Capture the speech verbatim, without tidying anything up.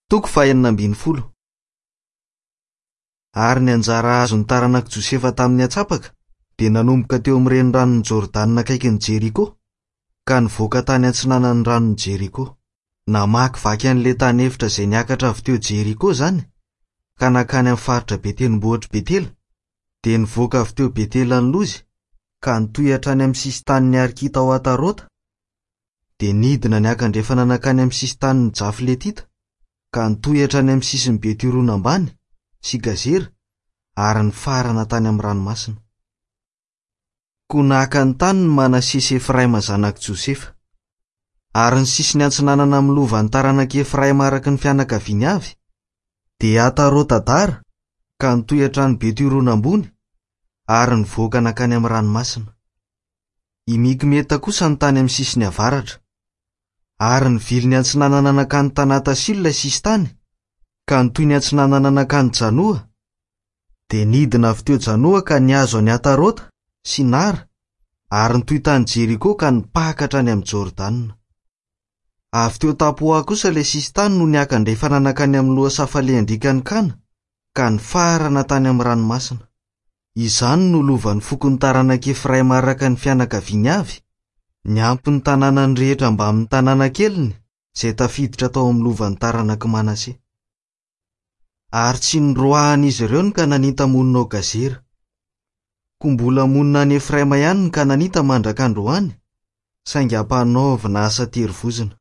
Toko fahenina ambin'ny folo. Ary ny anjara azon'ny taranak'i Josefa tamin'ny antsapaka dia nanomboka teo amin'ny reniranon'i Jordana akaikin'i Jeriko ka nivoaka tany antsinanan'ny ranon'i Jeriko. Namakivaky an'ilay tany efitra izay niakatra avy teo Jeriko izany ka nankany amin'ny faritra be tendrombohitr'i Betela, dia nivoaka avy teo Betela ny Lozy ka nitohy hatrany amin'ny sisin-tanin'ny Arkita ao Atarota, dia nidina niakandrefana nankany amin'ny sisin-tanin'ny Jafletita ka nitohy hatrany amin'ny sisin'i Betirona ambany sy Gazera ary nifarana tany amin'ny ranomasina. Koa naka ny tany ny Manase sy Efraima zanak'i Josefa. Ary ny sisiny antsinanana amin'ny lovan'ny taranak'i Efraima araka ny fianakaviany avy dia Atarota-Dara ka nitohy hatrany Betirona ambony ary nivoaka nankany amin'ny ranomasina. I Mikmeta kosa ny tany amin'ny sisiny avaratra. Ary nivily ny antsinanana nankany Tanatasilo ilay sisin-tany ka nitohy ny antsinanana nankany Janoa, dia nidina avy teo Janoa ka nihazo an'i Atarota sy Nara ary nitohy tany Jeriko ka nipaka hatrany amin'ny Jordana. Avy teo Tapoa kosa ilay sisin-tany no niakandrefana nankany amin'ny lohasaha falehan-driakan'i Kana ka nifarana tany amin'ny ranomasina. Izany no lovan'ny fokon'ny taranak'i Efraima araka ny fianakaviany avy, niampy ny tanànany rehetra mbamin'ny tanàna keliny izay tafiditra tao amin'ny lovan'ny taranak'i Manase. Ary tsy noroahan'izy ireo ny Kananita monina ao Gazera. Koa mbola monina any Efraima ihany ny Kananita mandraka androany, saingy ampanaovina asa terivozona.